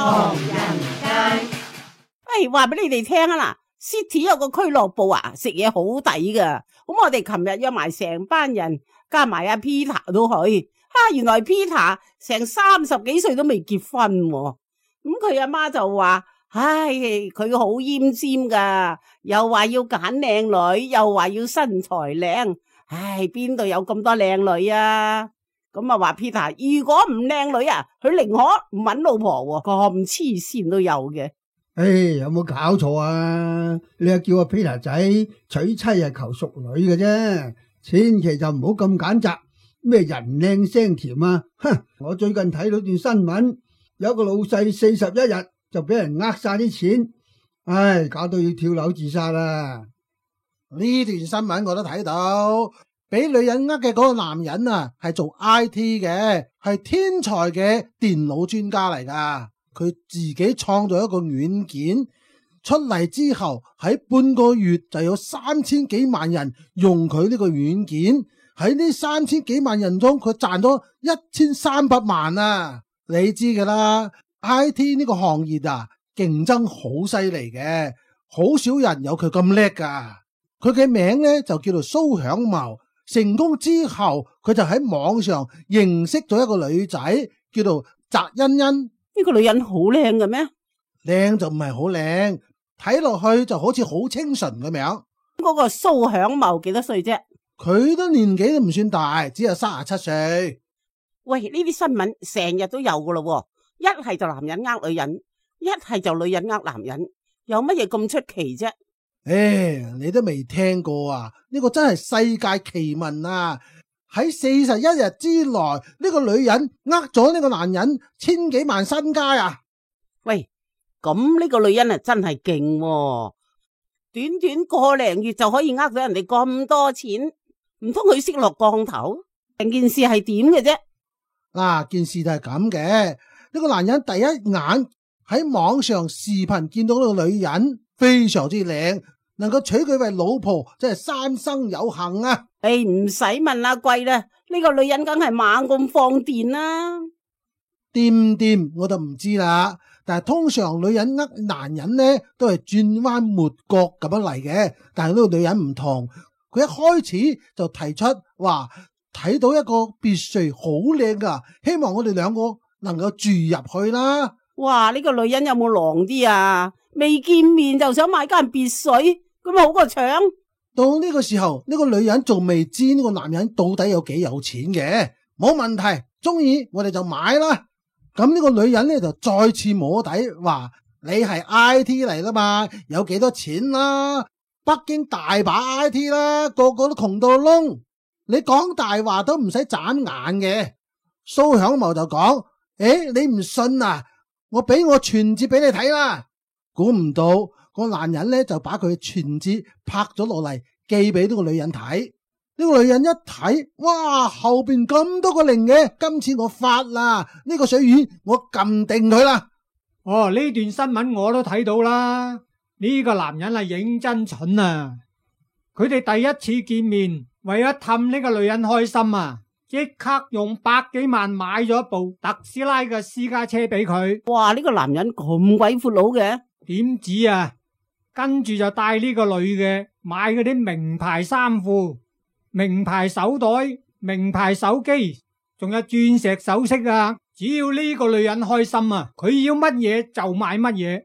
唐人街。話俾你哋聽啊啦 ，City 有個俱樂部啊，食嘢好抵噶。咁我哋琴日約埋成班人，加埋阿 Peter 都去。原來 Peter 成30幾歲都未結婚喎。咁佢阿媽就話：佢好奄尖噶，又話要揀靚女，又話要身材靚。邊度有咁多靚女啊？咁啊話 Peter 如果唔靚女啊，佢寧可唔搵老婆喎。咁黐線都有嘅。有冇搞錯啊？你又叫阿 Peter 仔娶妻係求淑女嘅啫，千祈就唔好咁揀擇。咩人靚聲甜啊！我最近睇到段新聞，有個老細41日就俾人呃晒啲錢，搞到要跳樓自殺啦！呢段新聞我都睇到，俾女人呃嘅嗰個男人啊，係做 IT 嘅，係天才嘅電腦專家嚟噶。佢自己創造一個軟件出嚟之後，喺半個月就有3000幾萬人用佢呢個軟件。喺呢3000幾萬人中，佢賺咗1300萬啊！你知噶啦 ，IT 呢個行業啊，競爭好犀利嘅，好少人有佢咁叻噶。佢嘅名呢就叫做蘇響茂。成功之後，佢就喺網上認識咗一個女仔，叫做翟欣欣。呢個女人好靚嘅咩？靚就唔係好靚，睇落去就好似好清純咁樣。嗰個蘇響茂幾多歲啫？佢都年紀都唔算大，只有37歲。喂，呢啲新聞成日都有噶咯，一係就男人呃女人，一係就女人呃男人，有乜嘢咁出奇啫？你都未聽過啊？呢個真係世界奇聞啊！喺41日之內，呢個女人呃咗呢個男人千幾萬身家啊！喂，咁呢個女人啊真係勁喎，短短個零月就可以呃到人哋咁多錢。唔通佢識落降頭？成件事係點嘅啫？件事就係咁嘅。呢個男人第一眼喺網上視頻見到呢個女人非常之靚，能夠娶佢為老婆，真係三生有幸啊！唔使問啦，貴啦，呢個女人梗係猛咁放電啦。掂我就唔知啦。但係通常女人呃男人呢，都係轉彎抹角咁樣嚟嘅。但係呢個女人唔同。佢一開始就提出話睇到一個別墅好靚噶，希望我哋兩個能夠住入去啦。哇！呢個女人有冇狼啲啊？未見面就想買間別墅，咁好過搶。到呢個時候，呢個女人仲未知呢個男人到底有幾有錢嘅，冇問題，中意我哋就買啦。咁呢個女人呢就再次摸底，話你係 IT 嚟啦嘛，有幾多錢啦？北京大把 IT 啦，個個都窮到窿，你講大話都唔使眨眼嘅。蘇響茂就講：你唔信啊？我俾我存摺俾你睇啦。估唔到個男人呢就把佢存摺拍咗落嚟，寄俾呢個女人睇。呢個女人一睇，哇，後邊咁多個零嘅，今次我發啦，呢個水魚我撳定佢啦。呢段新聞我都睇到啦。呢個男人係認真蠢啊！佢哋第一次見面，為咗氹呢個女人開心啊，即刻用100幾萬買咗一部特斯拉嘅私家車俾佢。哇！呢個男人咁鬼闊佬嘅，點止啊？跟住就帶呢個女嘅買嗰啲名牌衫褲、名牌手袋、名牌手機，仲有鑽石首飾啊！只要呢個女人開心啊，佢要乜嘢就買乜嘢。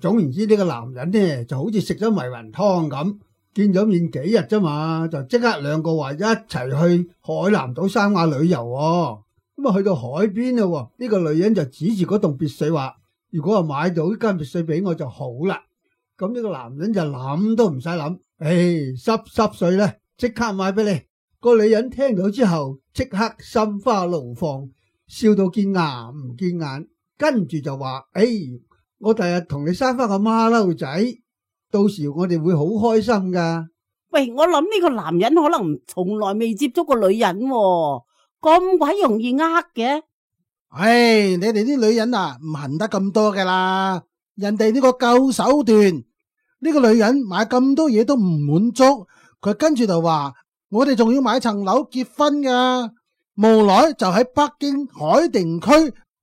總言之呢個男人呢就好似食咗迷魂湯咁，見咗面幾日啫嘛，就即刻兩個話一齊去海南島三亞旅遊喎。咁去到海邊啦，呢個女人就指住嗰棟別墅話：如果買到呢間別墅俾我就好啦。咁呢個男人就諗都唔使諗，濕碎啦，即刻買俾你。個女人聽到之後即刻心花怒放，笑到見牙唔見眼，跟住就話：我第日同你生翻個孖騮仔，到時我哋會好開心噶。喂，我諗呢個男人可能從來未接觸過女人喎，咁鬼容易呃嘅。你哋啲女人啊，唔行得咁多噶啦。人哋呢個夠手段，呢個女人買咁多嘢都唔滿足，佢跟住就話：我哋仲要買層樓結婚噶。無奈就喺北京海淀區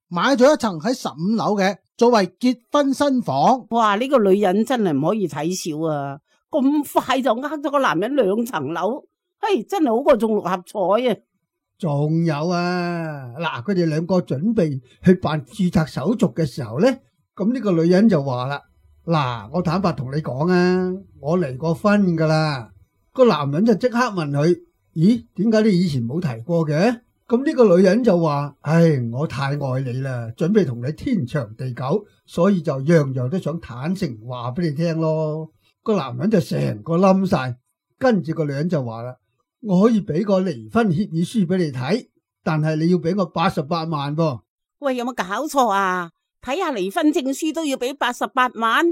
買咗一層喺15樓嘅，作為結婚新房。哇！呢個女人真係唔可以睇小啊！咁快就呃咗個男人2層樓，嘿，真係好過中6合彩啊！仲有啊，嗱，佢哋兩個準備去辦註冊手續嘅時候呢，咁呢個女人就話啦：嗱，我坦白同你講啊，我離過婚噶啦。個男人就即刻問佢：咦，點解你以前冇提過嘅？咁呢個女人就話：唉，我太愛你啦，準備同你天長地久，所以就樣樣都想坦誠話俾你聽咯。個男人就成個冧晒，跟住個女人就話啦：我可以俾個離婚協議書俾你睇，但係你要俾我88萬噃。喂，有冇搞錯啊？睇下離婚證書都要俾88萬？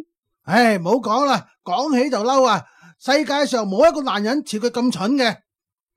唉，唔好講啦，講起就嬲啊！世界上冇一個男人似佢咁蠢嘅。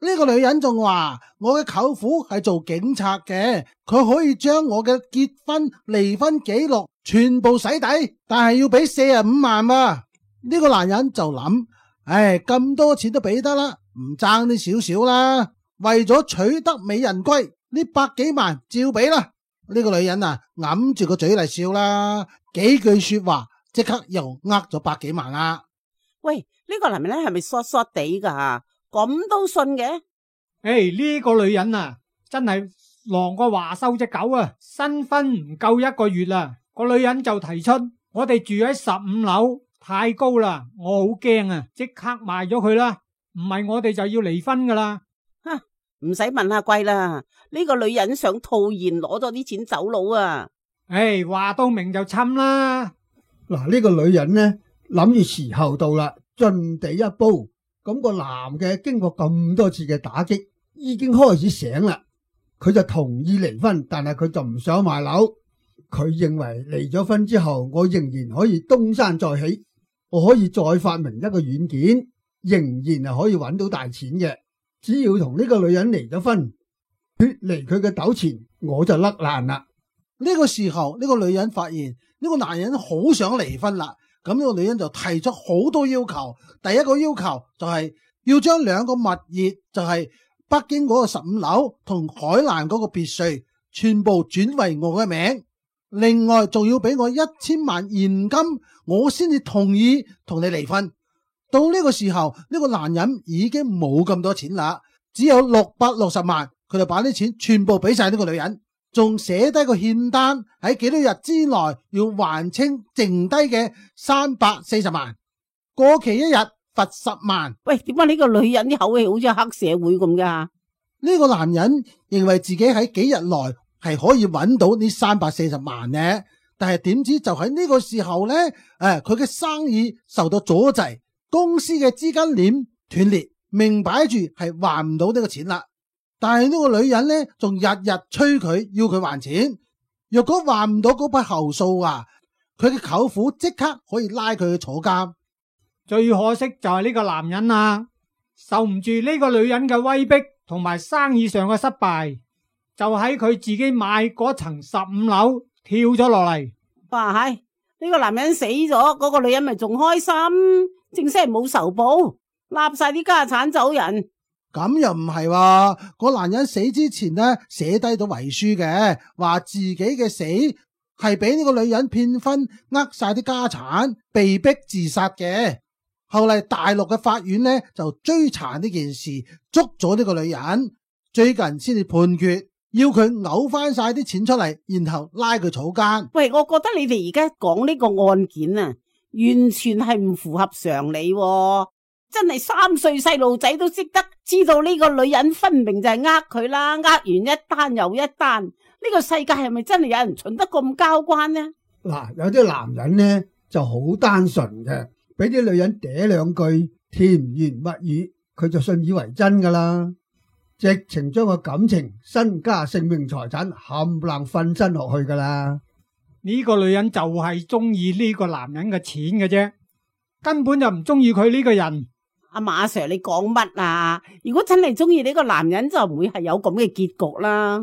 呢個女人仲話：我嘅舅父係做警察嘅，佢可以將我嘅結婚、離婚記錄全部洗底，但係要俾45萬啊！呢個男人就諗：唉，咁多錢都俾得啦，唔爭啲少少啦。為咗取得美人歸，呢100幾萬照俾啦。呢個女人啊，揞住個嘴嚟笑啦，幾句說話即刻又呃咗100幾萬啦。喂，呢個男人咧係咪傻傻地噶？咁都信嘅？呢個女人啊，真係狼過華收隻狗啊！新婚唔夠1個月啦，個女人就提出我哋住喺15樓。太高啦，我好驚啊！即刻賣咗佢啦，唔係我哋就要離婚噶啦。唔使問阿貴啦，呢個女人想套現攞咗啲錢走佬啊！話到明就侵啦。嗱，呢個女人呢，諗住時候到啦，盡地一步。咁個男嘅經過咁多次嘅打擊，已經開始醒啦。佢就同意離婚，但係佢就唔想賣樓。佢認為離咗婚之後，我仍然可以東山再起。我可以再發明一個軟件，仍然係可以揾到大錢嘅。只要同呢個女人離咗婚，脫離佢嘅糾纏，我就甩爛啦。呢個時候，呢個女人發現呢個男人好想離婚啦。咁呢個女人就提出好多要求。第一個要求就係要將2個物業，就係北京嗰個15樓同海南嗰個別墅，全部轉為我嘅名。另外仲要俾我1000萬現金，我先至同意同你離婚。到呢個時候，呢個男人已經冇咁多錢啦，只有660萬，佢就把啲錢全部俾晒呢個女人，仲寫低個欠單，喺幾多日之內要還清剩低嘅340萬，過期1日罰10萬。喂，點解呢個女人啲口氣好似黑社會咁噶？呢個男人認為自己喺幾日內係可以揾到呢340萬呢，但係點知就喺呢個時候呢，佢嘅生意受到阻滯，公司嘅資金鏈斷裂，明擺住係還唔到呢個錢啦。但係呢個女人呢，仲日日催佢要佢還錢。若果還唔到嗰筆後數啊，佢嘅舅父即刻可以拉佢去坐監。最可惜就係呢個男人啊，受唔住呢個女人嘅威逼同埋生意上嘅失敗，就喺佢自己買嗰層15樓跳咗落嚟。哇，係呢個男人死咗，嗰個女人咪仲開心，正式係冇仇報，立晒啲家產走人。咁又唔係喎，個男人死之前呢，寫低咗遺書嘅，話自己嘅死係俾呢個女人騙婚，呃晒啲家產，被逼自殺嘅。後嚟大陸嘅法院呢就追查呢件事，捉咗呢個女人，最近先至判決，要佢嘔翻晒啲錢出嚟，然後拉佢坐監。喂，我覺得你哋而家講呢個案件啊，完全係唔符合常理喎。真係3歲細路仔都識得知道呢個女人分明就係呃佢啦，呃完一單又一單。呢個世界係咪真係有人蠢得咁交關呢？嗱，有啲男人呢就好單純嘅，俾啲女人嗲2句甜言蜜語，佢就信以為真噶啦，直情將個感情、身家、性命、財產冚唪唥瞓身落去噶啦。呢個女人就係中意呢個男人嘅錢嘅啫，根本就唔中意佢呢個人。阿馬 Sir， 你講乜啊？如果真係中意呢個男人，就唔會係有咁嘅結局啦。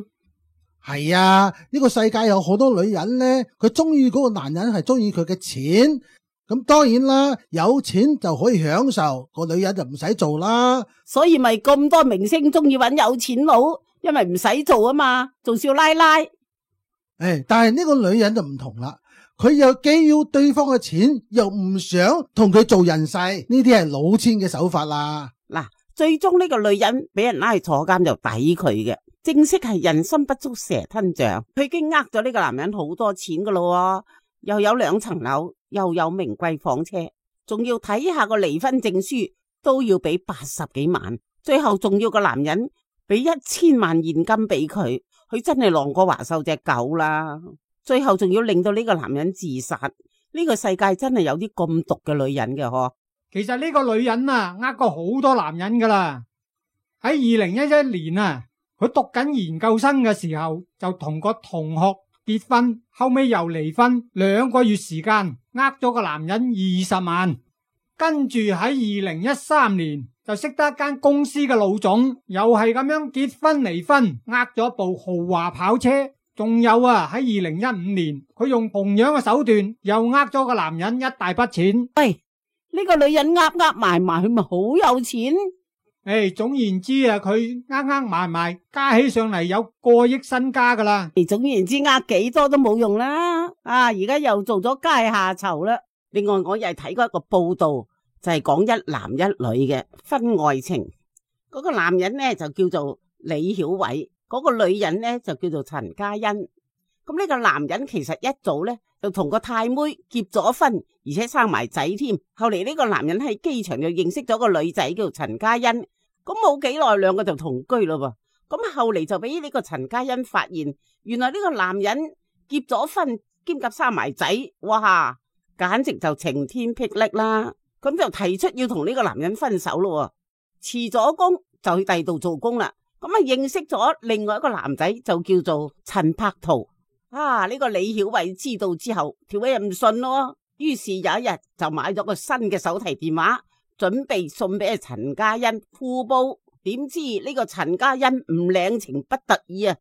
係啊，呢個世界有好多女人呢，佢中意嗰個男人係中意佢嘅錢。咁當然啦，有錢就可以享受，個女人就唔使做啦。所以咪咁多明星中意揾有錢佬，因為唔使做啊嘛，做少奶奶。但係呢個女人就唔同啦，佢又既要對方嘅錢，又唔想同佢做人世，呢啲係老千嘅手法啦。嗱，最終呢個女人俾人拉去坐監就抵佢嘅，正式係人心不足蛇吞象。佢已經呃咗呢個男人好多錢噶咯，又有2層樓，又有名貴房車，仲要睇下個離婚證書都要俾80幾萬，最後仲要個男人俾1000萬現金俾佢。佢真係狼過華獸隻狗啦，最後仲要令到呢個男人自殺。呢個世界真係有啲咁毒嘅女人嘅嗬。其實呢個女人啊，呃過好多男人噶啦。喺2011年啊，佢讀緊研究生嘅時候就同個同學結婚，後尾又離婚，2個月時間呃咗個男人20萬。跟住喺2013年就識得一間公司嘅老總，又係咁樣結婚離婚，呃咗部豪華跑車。仲有啊，喺2015年佢用同樣嘅手段又呃咗個男人一大筆錢。喂，呢個女人呃埋埋，佢咪好有錢？總言之啊，佢呃埋埋加起上嚟有過億身家噶啦。總言之，呃幾多都冇用啦。而家又做咗階下囚啦。另外，我又係睇過一個報道，就係講一男一女嘅婚外情。嗰個男人呢就叫做李曉偉，嗰個女人呢就叫做陳嘉欣。咁呢個男人其實一早呢就同個太妹結咗婚，而且生埋仔添。後嚟呢個男人喺機場就認識咗個女仔叫做陳嘉欣，咁冇幾耐2個就同居咯噃。咁後嚟就俾呢個陳嘉欣發現，原來呢個男人結咗婚兼夾生埋仔，哇！簡直就晴天霹靂啦！咁就提出要同呢個男人分手咯。辭咗工就去第度做工啦。咁認識咗另外一個男仔就叫做陳柏圖。呢個李曉偉知道之後，條尾又唔順咯。於是有一日就買咗個新嘅手提電話，準備送俾陳嘉欣互報。點知呢個陳嘉欣唔領情不得已啊，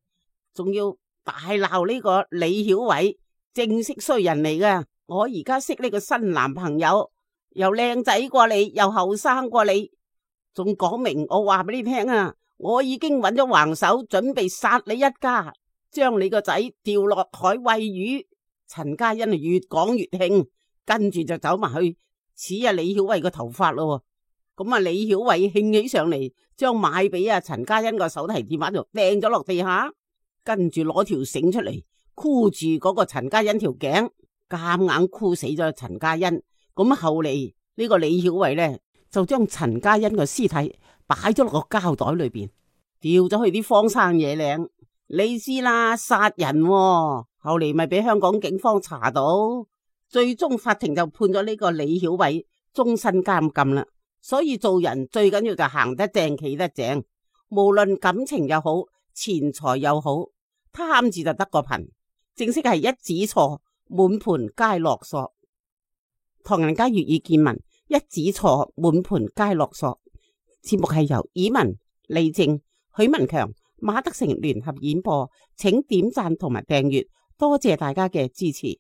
仲要大鬧呢個李曉偉，正式衰人嚟噶。我而家識呢個新男朋友，又靚仔過你，又後生過你，仲講明我話俾你聽啊！我已經揾咗橫手，準備殺你一家，將你個仔掉落海餵魚。陳嘉欣越講越興，跟住就走埋去似李曉偉個頭髮咯。咁李曉偉興起上嚟，將買俾陳嘉欣個手提電話就掟咗落地下，跟住攞條繩出嚟箍住嗰個陳嘉欣條頸。夾硬箍死咗陳嘉欣。咁後嚟呢個李曉偉呢，就將陳嘉欣個屍體擺咗落個膠袋裏邊，掉咗去啲荒山野嶺。你知啦，殺人喎。後嚟咪俾香港警方查到，最終法庭就判咗呢個李曉偉終身監禁啦。所以做人最緊要就行得正企得正，無論感情又好，錢財又好，貪字就得個貧。正式係一指錯，滿盤皆落索。唐人街粵語見聞，一指錯，滿盤皆落索。節目係由以文、李靜、許文強、馬德成聯合演播，請點讚同埋訂閱，多謝大家嘅支持。